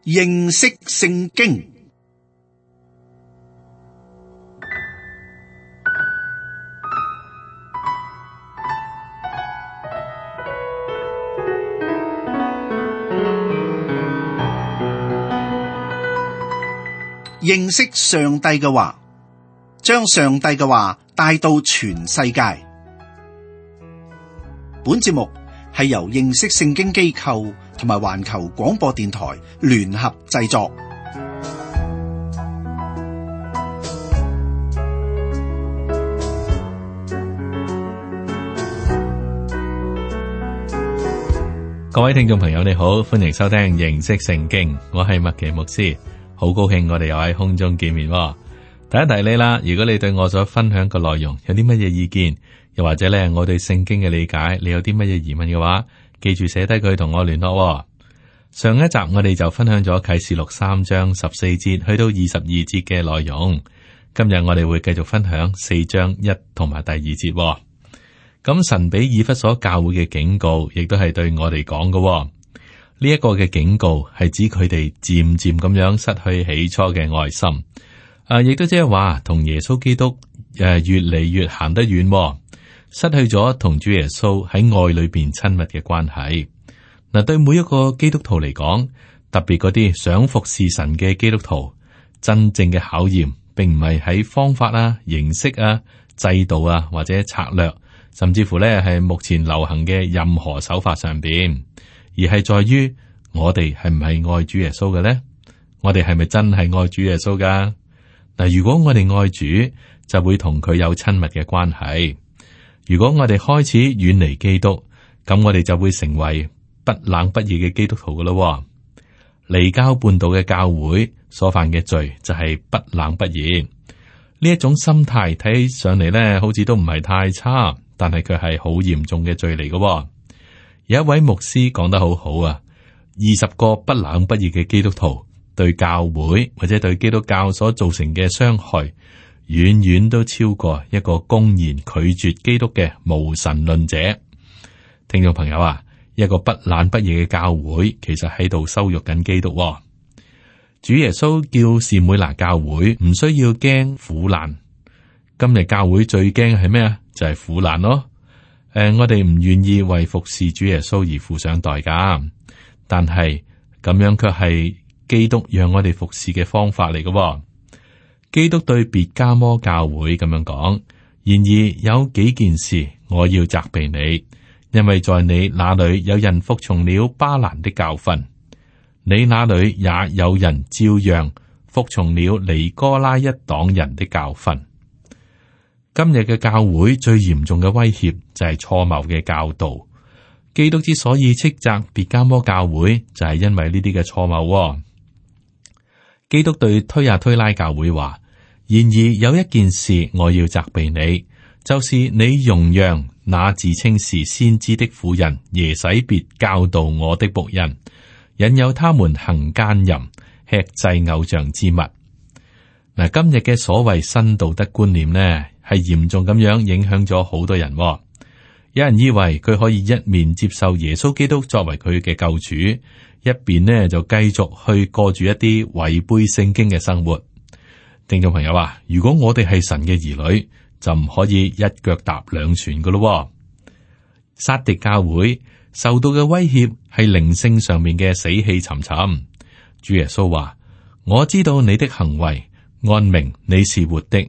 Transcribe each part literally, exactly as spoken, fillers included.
認識聖經。認識上帝嘅話，將上帝嘅話帶到全世界。本節目係由認識聖經機構同埋環球廣播電台聯合製作。各位聽眾朋友，你好，歡迎收聽認識聖經，我係麥奇牧師。好高興我哋又喺空中見面。提一提你啦，如果你對我所分享嘅內容有啲乜嘢意見，又或者咧我對聖經嘅理解，你有啲乜嘢疑問嘅話，記住寫低佢同我聯絡。上一集我哋就分享咗啟示錄三章十四節去到二十二節嘅內容，今日我哋會繼續分享四章一同埋第二節。咁神俾以弗所教會嘅警告，亦都係對我哋講嘅。呢一個嘅警告係指佢哋漸漸咁樣失去起初嘅愛心，啊，亦都即係話同耶穌基督誒越嚟越行得遠，失去咗同主耶穌喺愛裏邊親密嘅關係。嗱，對每一個基督徒嚟講，特別嗰啲想服侍神嘅基督徒，真正嘅考驗，並唔係喺方法啊、形式啊、制度啊或者策略，甚至乎咧係目前流行嘅任何手法上邊。而係在於我哋係唔係愛主耶穌嘅咧？我哋係咪真係愛主耶穌噶？嗱，如果我哋愛主，就會同佢有親密嘅關係。如果我哋開始遠離基督，咁我哋就會成為不冷不熱嘅基督徒噶咯。離經叛道嘅教會所犯嘅罪就係不冷不熱。呢一種心態睇起上嚟咧，好似都唔係太差，但係佢係好嚴重嘅罪嚟噶。有一位牧師講得好好啊，二十個不冷不熱嘅基督徒對教會或者對基督教所造成嘅傷害，遠遠都超過一個公然拒絕基督嘅無神論者。聽眾朋友啊，一個不冷不熱嘅教會，其實喺度羞辱緊基督。主耶穌叫士每拿教會唔需要驚苦難。今日教會最驚係咩啊？就係苦難咯。誒、呃，我哋唔願意為服侍主耶穌而付上代價，但係咁樣卻係基督讓我哋服侍嘅方法嚟嘅。基督對別迦摩教會咁樣講：然而有幾件事我要責備你，因為在你那裏有人服從了巴蘭的教訓，你那裏也有人照樣服從了尼哥拉一黨人的教訓。今日嘅教會最嚴重嘅威脅就係錯謬嘅教導。基督之所以斥責別迦摩教會，就係因為呢啲嘅錯謬。基督對推亞推拉教會話：然而有一件事我要責備你，就是你容讓那自稱是先知的婦人耶洗別教導我的僕人，引誘他們行奸淫，吃祭偶像之物。嗱，今日嘅所謂新道德觀念呢，係嚴重咁樣影響咗好多人。有人以為佢可以一面接受耶穌基督作為佢嘅救主，一邊呢就繼續去過住一啲違背聖經嘅生活。聽眾朋友啊，如果我哋係神嘅兒女，就唔可以一腳踏兩船噶咯。撒狄教會受到嘅威脅係靈性上面嘅死氣沉沉。主耶穌話：我知道你的行為，按名你是活的，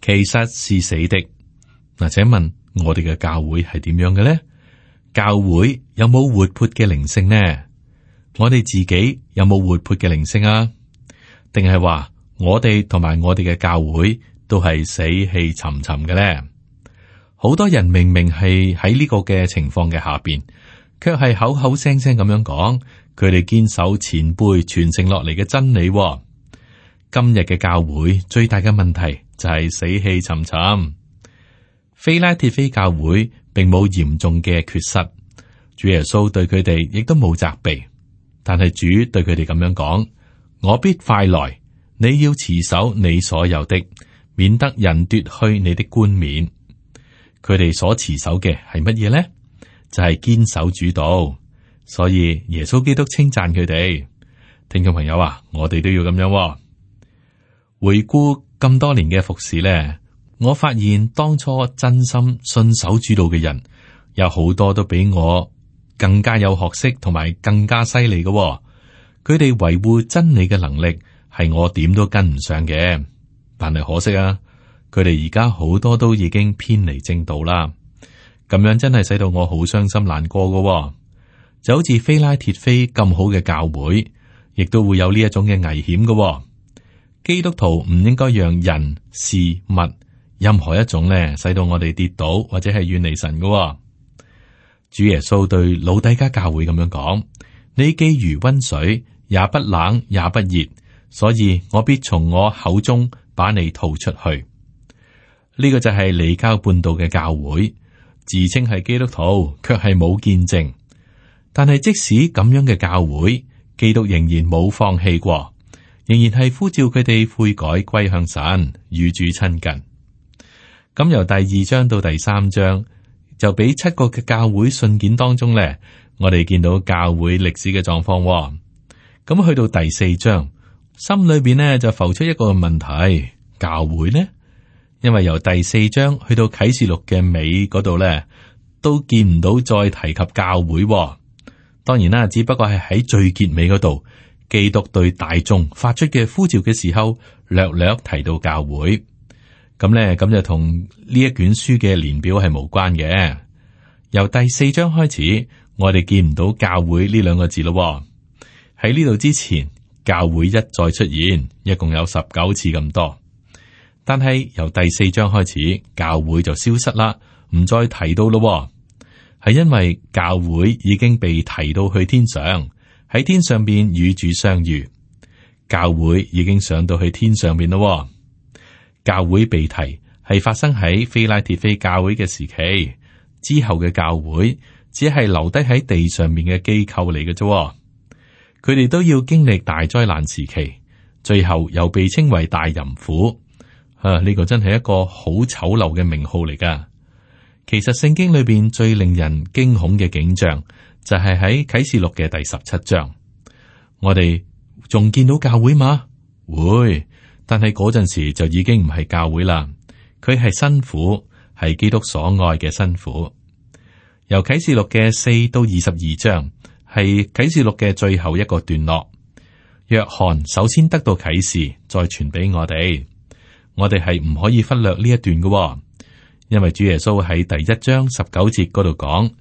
其實是死的。嗱，請問我哋嘅教會係點樣嘅呢？教會有冇活潑嘅靈性呢？我哋自己有冇活潑嘅靈性啊？定係話我哋同埋我哋嘅教會都係死氣沉沉嘅呢？好多人明明係喺呢個嘅情況嘅下邊，卻係口口聲聲咁樣講，佢哋堅守前輩傳承落嚟嘅真理。今日嘅教會最大嘅問題就係死氣沉沉。非拉鐵非教會並冇嚴重嘅缺失，主耶穌對佢哋亦都冇責備，但係主對佢哋咁樣講：我必快來，你要持守你所有的，免得人奪去你的冠冕。佢哋所持守嘅係乜嘢呢？就係、是、堅守主道。所以耶穌基督稱讚佢哋。聽眾朋友啊，我哋都要咁樣喎。回顧咁多年嘅服侍呢，我發現當初真心信守主道嘅人，有好多都比我更加有學識同埋更加犀利嘅。佢哋維護真理嘅能力係我點都跟唔上嘅。但係可惜啊，佢哋而家好多都已經偏離正道啦。咁樣真係使到我好傷心難過嘅。就好似非拉鐵非咁好嘅教會，亦都會有呢一種嘅危險嘅。基督徒唔應該讓人事物任何一種咧，使到我哋跌倒或者係遠離神嘅。主耶穌對老底嘉教會咁樣講：你既如溫水，也不冷也不熱，所以我必從我口中把你吐出去。呢個就係離經叛道嘅教會，自稱係基督徒，卻係冇見證。但係即使咁樣嘅教會，基督仍然冇放棄過，仍然係呼召佢哋悔改歸向神，與主親近。咁由第二章到第三章，就俾七個嘅教會信件當中咧，我哋見到教會歷史嘅狀況。咁去到第四章，心裏邊呢就浮出一個問題：教會呢？因為由第四章去到啟示錄嘅尾嗰度咧，都見唔到再提及教會。當然啦，只不過係喺最結尾嗰度，基督對大眾發出嘅呼召嘅時候，略略提到教會。咁咧，咁就同呢一卷書嘅年表係無關嘅。由第四章開始，我哋見唔到教會呢兩個字咯。喺呢度之前，教會一再出現，一共有十九次咁多。但係由第四章開始，教會就消失啦，唔再提到咯。係因為教會已經被提到去天上，喺天上邊與主相遇。教會已經上到去天上邊咯。教會被提係發生喺非拉鐵非教會嘅時期之後嘅教會，只係留低喺地上面嘅機構嚟嘅啫。佢哋都要經歷大災難時期，最後又被稱為大淫婦。啊，呢個真係一個好醜陋嘅名號嚟噶。其實聖經裏邊最令人驚恐嘅景象就係喺啟示錄嘅第十七章。我哋仲見到教會嗎？會，但係嗰陣時就已經唔係教會啦。佢係新婦，係基督所愛嘅新婦。由啟示錄嘅四到二十二章係啟示錄嘅最後一個段落。約翰首先得到啟示，再傳俾我哋。我哋係唔可以忽略呢一段嘅。因為主耶穌喺第一章十九節嗰度講，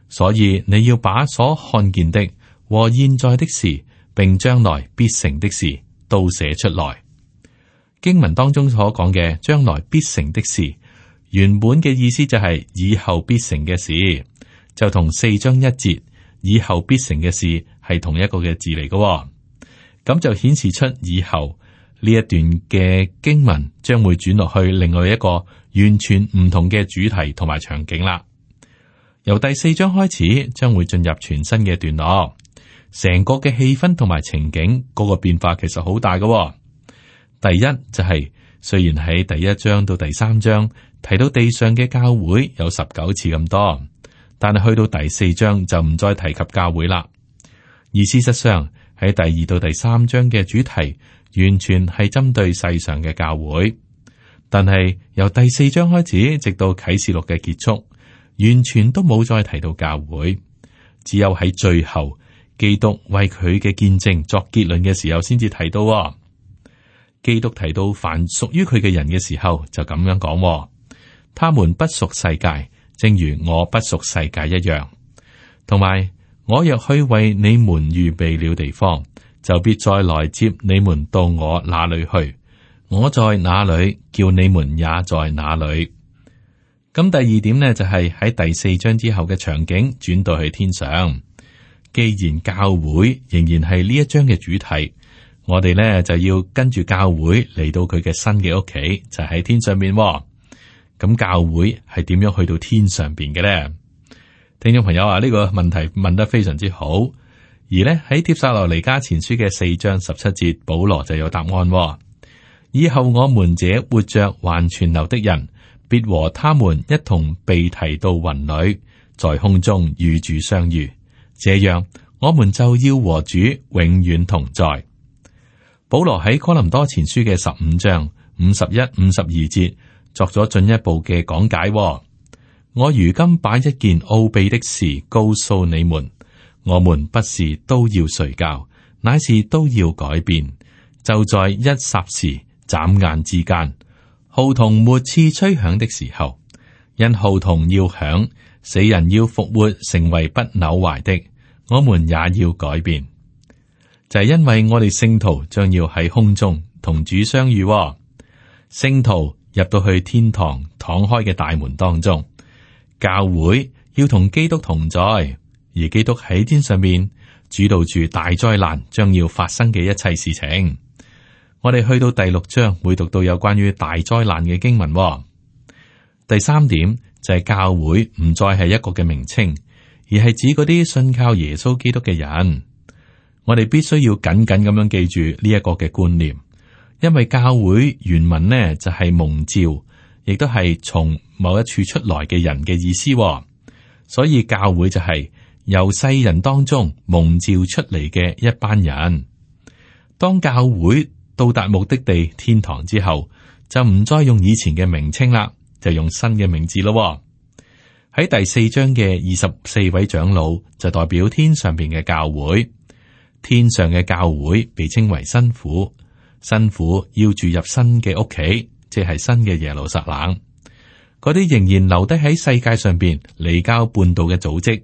所以你要把所看見的和現在的事，並將來必成的事都寫出來。經文當中所講嘅將來必成的事，原本嘅意思就係以後必成嘅事，就同四章一節以後必成嘅事係同一個嘅字嚟嘅。咁就顯示出以後呢一段嘅經文將會轉落去另外一個完全唔同嘅主題同埋場景啦。由第四章開始，將會進入全新嘅段落，成個嘅氣氛同埋情景嗰個變化其實好大嘅。第一就係、是、雖然喺第一章到第三章提到地上嘅教會有十九次咁多，但係去到第四章就唔再提及教會啦。而事實上喺第二到第三章嘅主題完全係針對世上嘅教會。但係由第四章開始，直到啟示錄嘅結束，完全都冇再提到教會，只有喺最後基督為佢嘅見證作結論嘅時候，先至提到、哦。基督提到凡屬於佢嘅人嘅時候，就咁樣講、哦：他們不屬世界，正如我不屬世界一樣。同埋，我若去為你們預備了地方，就必再來接你們到我那裏去。我在哪裏，叫你們也在哪裏。咁第二點呢，就係、是、喺第四章之後嘅場景轉到去天上。既然教會仍然係呢一章嘅主題，我哋呢就要跟住教會嚟到佢嘅新嘅屋企，就喺、是、天上邊、哦。咁教會係點樣去到天上邊嘅呢？聽眾朋友啊，呢、這個問題問得非常之好。而呢喺帖撒羅尼迦前書嘅四章十七節，保羅就有答案、哦。以後我們這活着還存留的人，必和他們一同被提到雲裏，在空中與主相遇。這樣，我們就要和主永遠同在。保羅喺哥林多前書嘅十五章五十一、五十二節作咗進一步嘅講解。我如今把一件奧秘的事告訴你們，我們不是都要睡覺，乃是都要改變，就在一霎時、眨眼之間。號筒末次吹響的時候，因號筒要響，死人要復活，成為不朽壞的，我們也要改變。就係因為我哋聖徒將要喺空中同主相遇。聖徒入到去天堂敞開嘅大門當中，教會要同基督同在，而基督喺天上面主導住大災難將要發生嘅一切事情。我哋去到第六章會讀到有關於大災難嘅經文。第三點就係教會唔再係一個嘅名稱，而係指嗰啲信靠耶穌基督嘅人。我哋必須要緊緊咁樣記住呢一個嘅觀念，因為教會原文呢就係蒙召，亦都係從某一處出來嘅人嘅意思。所以教會就係由世人當中蒙召出嚟嘅一班人。當教會到達目的地天堂之後，就唔再用以前嘅名稱啦，就用新嘅名字咯。喺第四章嘅二十四位長老就代表天上邊嘅教會。天上嘅教會被稱為新婦，新婦要住入新嘅屋企，即係新嘅耶路撒冷。嗰啲仍然留低喺世界上邊離經叛道嘅組織，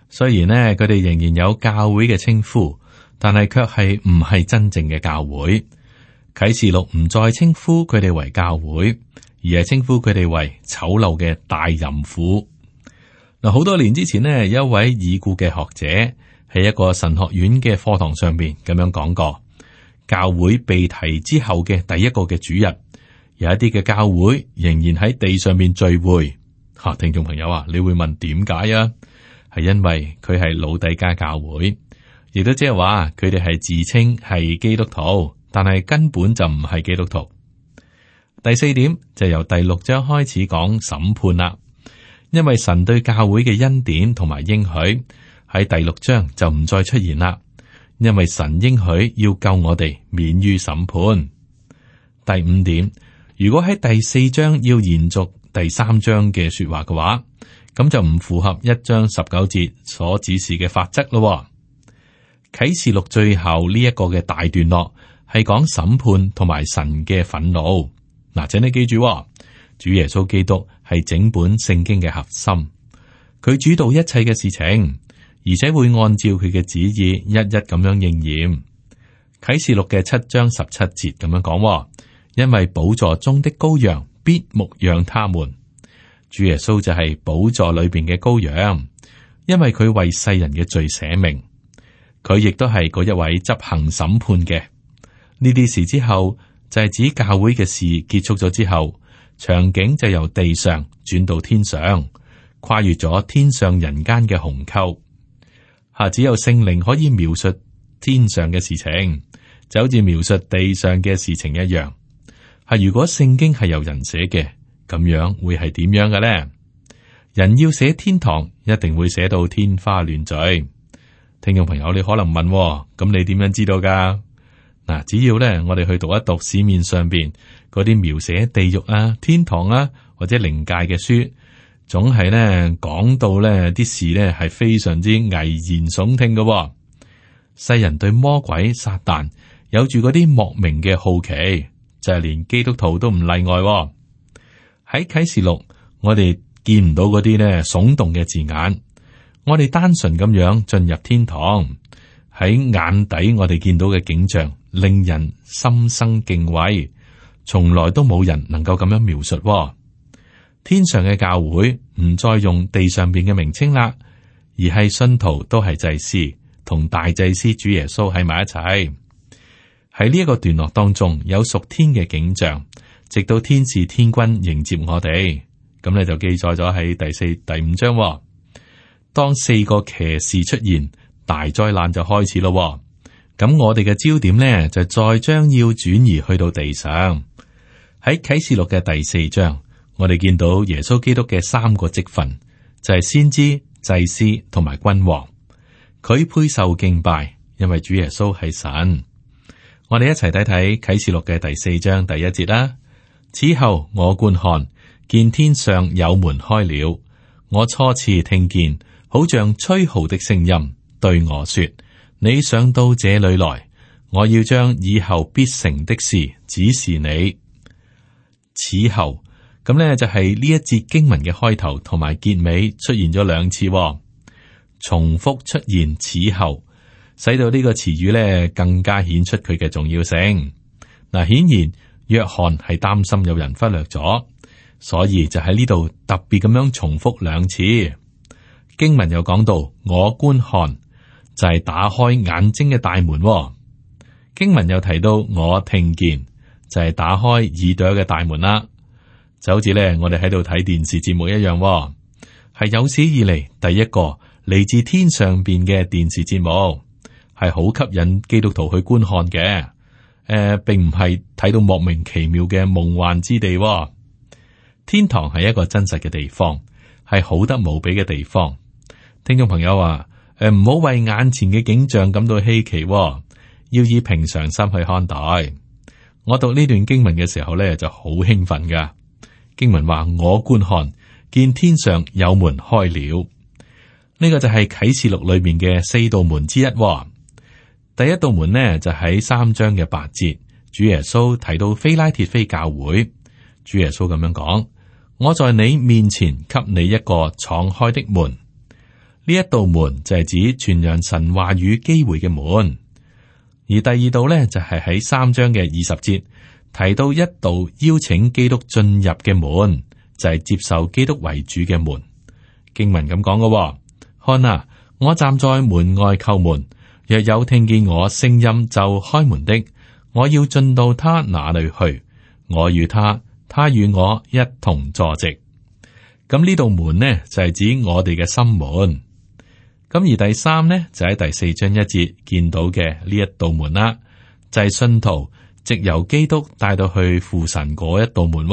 雖然呢，佢哋仍然有教會嘅稱呼，但係卻係唔係真正嘅教會。啟示錄唔再稱呼佢哋為教會，而係稱呼佢哋為醜陋嘅大淫婦。嗱，好多年之前呢，有一位已故嘅學者喺一個神學院嘅課堂上邊咁樣講過，教會被提之後嘅第一個嘅主日，有一啲嘅教會仍然喺地上面聚會。吓、啊，聽眾朋友啊，你會問點解啊？係因為佢係老底嘉教會，亦都即係話佢哋係自稱係基督徒，但係根本就唔係基督徒。第四點就由第六章開始講審判啦，因為神對教會嘅恩典同埋應許喺第六章就唔再出現啦，因為神應許要救我哋免於審判。第五點，如果喺第四章要延續第三章嘅說話嘅話，咁就唔符合一章十九節所指示嘅法則咯。啟示錄最後呢一個嘅大段落係講審判同埋神嘅憤怒。嗱，請你記住，主耶穌基督係整本聖經嘅核心，佢主導一切嘅事情，而且會按照佢嘅旨意一一咁樣應驗。啟示錄嘅七章十七節咁樣講，因為寶座中的羔羊必牧養他們。主耶穌就係寶座裏邊嘅羔羊，因為佢為世人嘅罪捨命，佢亦都係嗰一位執行審判嘅。呢啲事之後就係指教會嘅事結束咗之後，場景就由地上轉到天上，跨越咗天上人間嘅鴻溝。吓，只有聖靈可以描述天上嘅事情，就好似描述地上嘅事情一樣。係如果聖經係由人寫嘅，咁樣會係點樣嘅咧？人要寫天堂，一定會寫到天花亂墜。聽眾朋友，你可能問，咁你點樣知道噶？嗱，只要咧我哋去讀一讀市面上邊嗰啲描寫地獄啊、天堂啊或者靈界嘅書，總係咧講到咧啲事咧係非常之危言聳聽嘅。世人對魔鬼撒旦有住嗰啲莫名嘅好奇，就係連基督徒都唔例外。喺啟示錄，我哋見唔到嗰啲咧聳動嘅字眼，我哋單純咁樣進入天堂，喺眼底我哋見到嘅景象令人心生敬畏，從來都冇人能夠咁樣描述。天上嘅教會唔再用地上邊嘅名稱啦，而係信徒都係祭司，同大祭司主耶穌喺埋一齊。喺呢一個段落當中有屬天嘅景象，直到天使天軍迎接我哋，咁咧就記載咗喺第四、第五章。當四個騎士出現，大災難就開始咯。咁我哋嘅焦點呢，就再將要轉移去到地上。喺啟示錄嘅第四章，我哋見到耶穌基督嘅三個職分，就係先知、祭司同埋君王。佢配受敬拜，因為主耶穌係神。我哋一齊睇睇啟示錄嘅第四章第一節啦。此後我觀看，見天上有門開了，我初次聽見，好像吹號的聲音，對我說：你上到這裏來，我要將以後必成的事指示你。此後咁呢，就係呢一節經文嘅開頭同埋結尾出現咗兩次，重複出現此後，使到呢個詞語呢更加顯出佢嘅重要性。嗱，顯然約翰係擔心有人忽略咗，所以就喺呢度特別咁樣重複兩次。經文又講到我觀看，就係打開眼睛嘅大門。經文又提到我聽見，就係打開耳朵嘅大門啦。就好似咧，我哋喺度睇電視節目一樣，係有史以嚟第一個嚟自天上邊嘅電視節目，係好吸引基督徒去觀看嘅。誒、呃，並唔係睇到莫名其妙嘅夢幻之地。天堂係一個真實嘅地方，係好得無比嘅地方。聽眾朋友話：誒，唔好為眼前嘅景象感到稀奇，要以平常心去看待。我讀呢段經文嘅時候咧，就好興奮噶。經文話：我觀看，見天上有門開了。呢個就係啟示錄裏面嘅四道門之一。第一道門呢，就喺三章嘅八節，主耶穌提到非拉鐵非教會。主耶穌咁樣講：我在你面前給你一個敞開的門。呢一道門就係指傳揚神話語機會嘅門。而第二道呢，就係喺三章嘅二十節提到一道邀請基督進入嘅門，就係接受基督為主嘅門。經文咁講嘅：看啊，我站在門外叩門，若有聽見我聲音就開門的，我要進到他那裏去，我與他，他與我一同坐席。咁呢道門呢，就係指我哋嘅心門。咁而第三呢，就喺第四章一節見到嘅呢一道門啦，就係信徒藉由基督帶到去父神嗰一道門。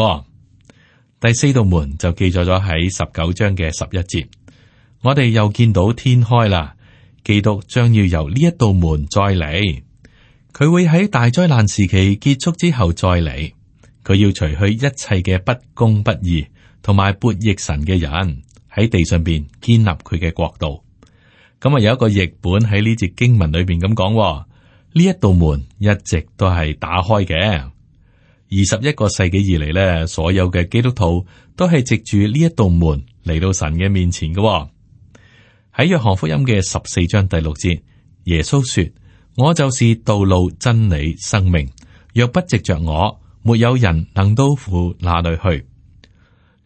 第四道門就記載咗喺十九章嘅十一節，我哋又見到天開啦，基督將要由呢一道門再嚟，佢會喺大災難時期結束之後再嚟，佢要除去一切嘅不公不義同埋悖逆神嘅人，喺地上邊建立佢嘅國度。咁啊，有一個譯本喺呢節經文裏邊咁講，呢一道門一直都係打開嘅。二十一個世紀以嚟咧，所有嘅基督徒都係藉住呢一道門嚟到神嘅面前嘅。喺約翰福音嘅十四章第六節，耶穌說：我就是道路、真理、生命，若不藉着我，沒有人能到父那裏去。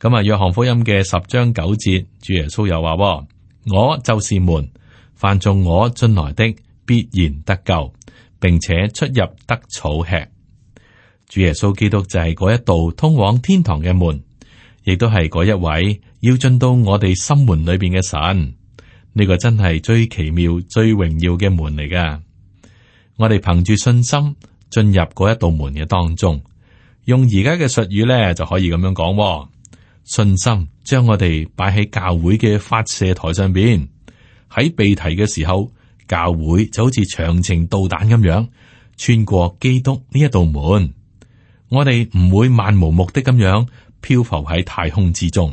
咁啊，約翰福音嘅十章九節，主耶穌又話：我就是門。凡從我進來的，必然得救，並且出入得草吃。主耶穌基督就係嗰一道通往天堂嘅門，亦都係嗰一位要進到我哋心門裏邊嘅神。呢個真係最奇妙、最榮耀嘅門嚟噶。我哋憑住信心進入嗰一道門嘅當中，用而家嘅術語咧就可以咁樣講：信心將我哋擺喺教會嘅發射台上邊。喺被提嘅時候，教會就好似長程導彈咁樣穿過基督呢一道門，我哋唔會漫無目的咁樣漂浮喺太空之中。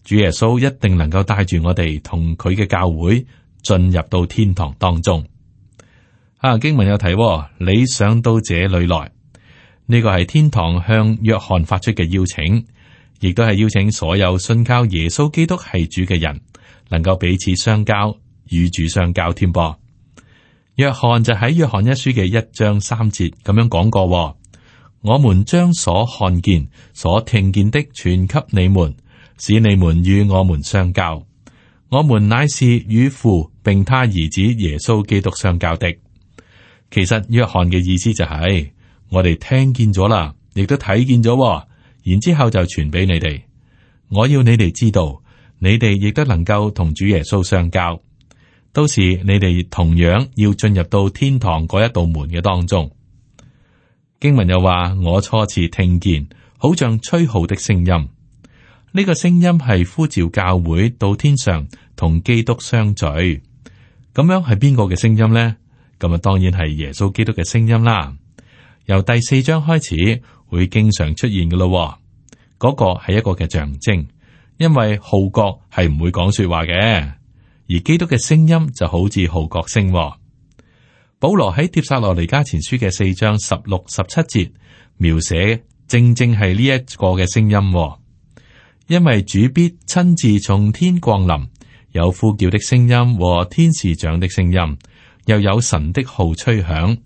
主耶穌一定能夠帶住我哋同佢嘅教會進入到天堂當中。啊，經文有提，你上到這裏來，呢個係天堂向約翰發出嘅邀請，亦都係邀請所有信靠耶穌基督係主嘅人，能夠彼此相交，與主相交添噃。約翰就喺約翰一書嘅一章三節咁樣講過：我們將所看見、所聽見的傳給你們，使你們與我們相交。我們乃是與父並他兒子耶穌基督相交的。其實約翰嘅意思就係、是、我哋聽見咗啦，亦都睇見咗，然之後就傳俾你哋。我要你哋知道。你哋亦都能夠同主耶穌相交，到時你哋同樣要進入到天堂嗰一道門嘅當中。經文又話：我初次聽見，好像吹號的聲音。呢、這個聲音係呼召教會到天上同基督相聚。咁樣係邊個嘅聲音呢？咁啊，當然係耶穌基督嘅聲音啦。由第四章開始會經常出現嘅咯。嗰個係一個嘅象徵，因為號角係唔會講說話嘅，而基督嘅聲音就好似號角聲。保羅喺帖撒羅尼迦前書嘅四章十六、十七節描寫，正正係呢一個嘅聲音。因為主必親自從天降臨，有呼叫的聲音和天使長的聲音，又有神的號吹響。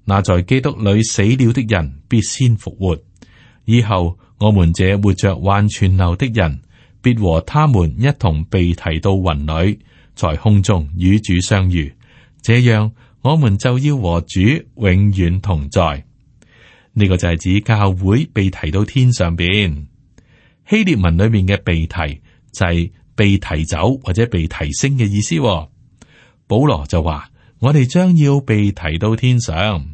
那在基督裏死了的人必先復活，以後我們這活着還存留的人，必和他們一同被提到雲裏，在空中與主相遇。這樣，我們就要和主永遠同在。呢個就係指教會被提到天上邊。希臘文裏面嘅被提就係被提走或者被提升嘅意思。保羅就話：我哋將要被提到天上。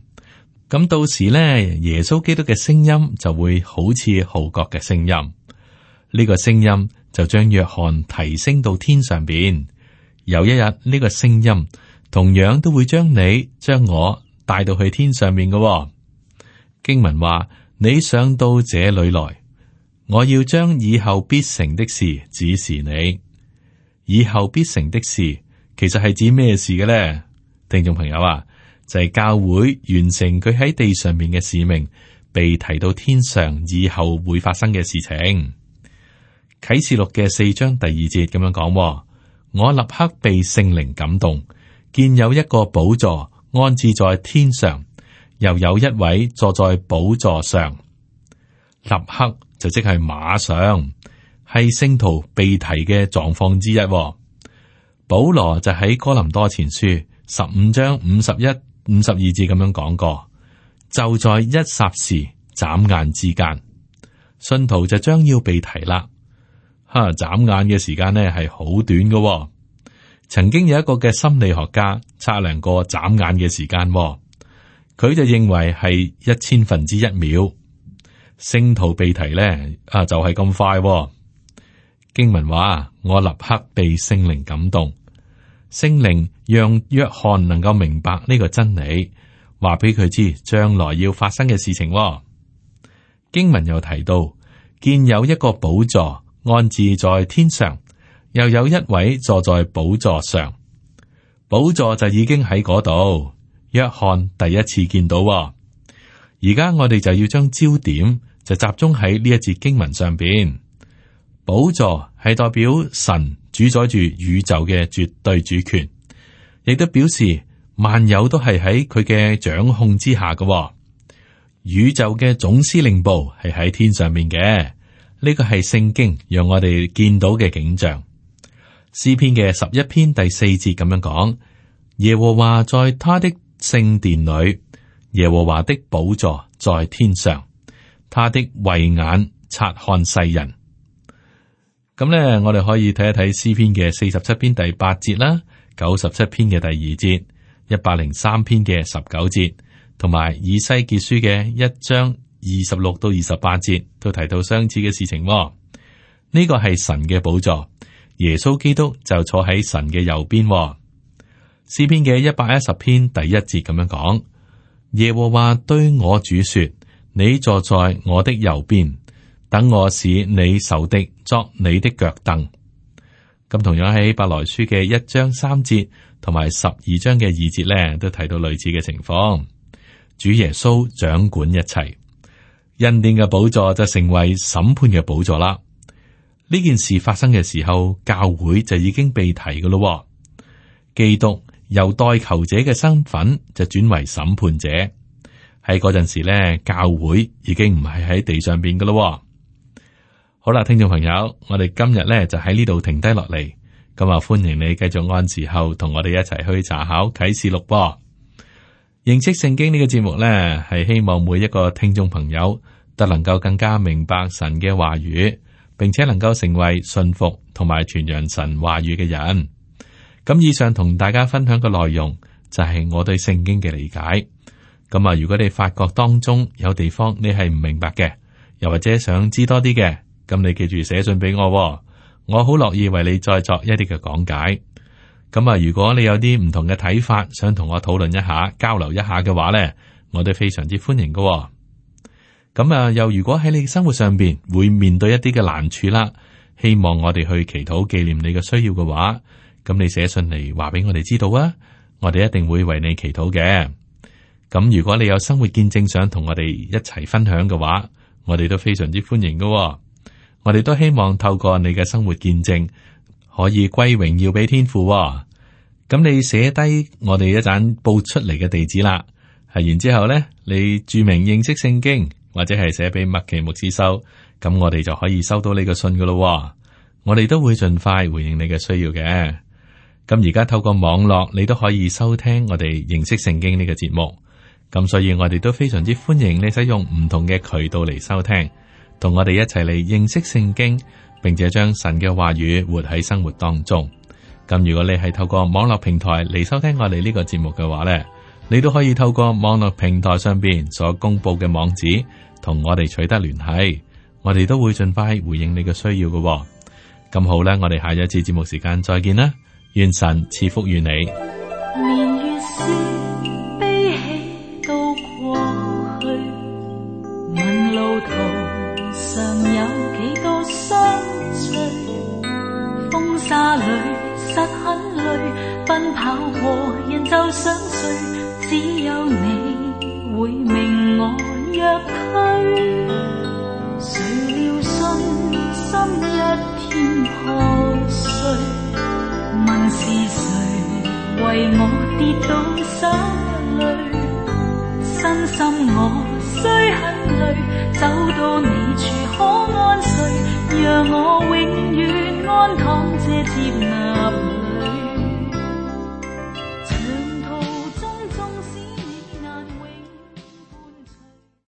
咁到時咧，耶穌基督嘅聲音就會好似號角嘅聲音。呢個聲音就將約翰提升到天上邊。有一日，呢個聲音同樣都會將你、將我帶到去天上面嘅。經文話：你上到這裏來，我要將以後必成的事指示你。以後必成的事，其實係指咩事嘅咧？聽眾朋友啊，就係教會完成佢喺地上面嘅使命，被提到天上以後會發生嘅事情。啟示錄嘅四章第二節咁樣講：我立刻被聖靈感動，見有一個寶座安置在天上，又有一位坐在寶座上。立刻就即係馬上，係聖徒被提嘅狀況之一。保羅就喺哥林多前書十五章五十一、五十二節咁樣講過，就在一霎時、眨眼之間，信徒就將要被提啦。哈，眨眼嘅時間呢係好短嘅。曾經有一個嘅心理學家測量過眨眼嘅時間，佢就認為係一千分之一秒。聖徒被提呢，啊就係咁快。經文話：我立刻被聖靈感動。聖靈讓約翰能夠明白呢個真理，話俾佢知將來要發生嘅事情。經文又提到，見有一個寶座安置在天上，又有一位坐在寶座上。寶座就已經喺嗰度，約翰第一次見到。而家我哋就要將焦點就集中喺呢一節經文上邊。寶座係代表神主宰住宇宙嘅絕對主權，亦都表示萬有都係喺佢嘅掌控之下嘅。宇宙嘅總司令部係喺天上面嘅，呢個係聖經讓我哋見到嘅景象。詩篇嘅十一篇第四節咁樣講：耶和華在他的聖殿裏，耶和華的寶座在天上，他的慧眼察看世人。咁咧，我哋可以睇一睇詩篇嘅四十七篇第八節啦，九十七篇嘅第二節，一百零三篇嘅十九節，同埋以西結書嘅一章二十六到二十八節，都提到相似嘅事情。呢個係神嘅寶座，耶穌基督就坐喺神嘅右邊。詩篇嘅一百一十篇第一節咁樣講：耶和華對我主說，你坐在我的右邊，等我使你仇敵作你的腳凳。咁同樣喺希伯來書嘅一章三節同埋十二章嘅二節咧，都提到類似嘅情況。主耶穌掌管一切，恩典嘅寶座就成為審判嘅寶座啦。呢件事發生嘅時候，教會就已經被提㗎咯。基督由代求者嘅身份就轉為審判者。喺嗰陣時咧，教會已經唔係喺地上邊㗎咯。好啦，聽眾朋友，我哋今日咧就喺呢度停低落嚟，咁啊歡迎你繼續按時候同我哋一齊去查考啟示錄噃。認識聖經呢個節目咧，係希望每一個聽眾朋友都能夠更加明白神嘅話語，並且能夠成為信服同埋傳揚神話語嘅人。咁以上同大家分享嘅內容就係我對聖經嘅理解。咁啊，如果你發覺當中有地方你係唔明白嘅，又或者想知多啲嘅，咁你記住寫信俾我，我好樂意為你再作一啲嘅講解。咁啊，如果你有啲唔同嘅睇法，想同我討論一下、交流一下嘅話呢，我都非常之歡迎㗎。咁啊，又如果喺你生活上邊會面對一啲嘅難處啦，希望我哋去祈禱紀念你嘅需要嘅話，咁你寫信嚟話俾我哋知道啊，我哋一定會為你祈禱嘅。咁如果你有生活見證想同我哋一齊分享嘅話，我哋都非常之歡迎㗎。我哋都希望透過你嘅生活見證，可以歸榮耀俾天父。咁你寫低我哋一陣報出嚟嘅地址啦，係然之後咧，你注明認識聖經，或者係寫俾麥奇牧師收，咁我哋就可以收到你嘅信噶咯。我哋都會盡快回應你嘅需要嘅。咁而家透過網絡，你都可以收聽我哋認識聖經呢個節目。咁所以我哋都非常之歡迎你使用唔同嘅渠道嚟收聽，同我哋一齊嚟認識聖經，並且將神嘅話語活喺生活當中。咁如果你係透過網絡平台嚟收聽我哋呢個節目嘅話呢，你都可以透過網絡平台上邊所公布嘅網址，同我哋取得聯繫。我哋都會盡快回應你嘅需要嘅。咁好啦，我哋下一次節目時間再見啦，願神賜福於你。年月是悲喜都過去，問路途上有幾多相隨，風沙裏實很累，奔跑和人就想睡，只有你會明我若區。誰料信心一天破碎，問是誰為我跌倒手裏，身心我雖很累，走到你處可安睡，讓我永遠安躺這接納裏。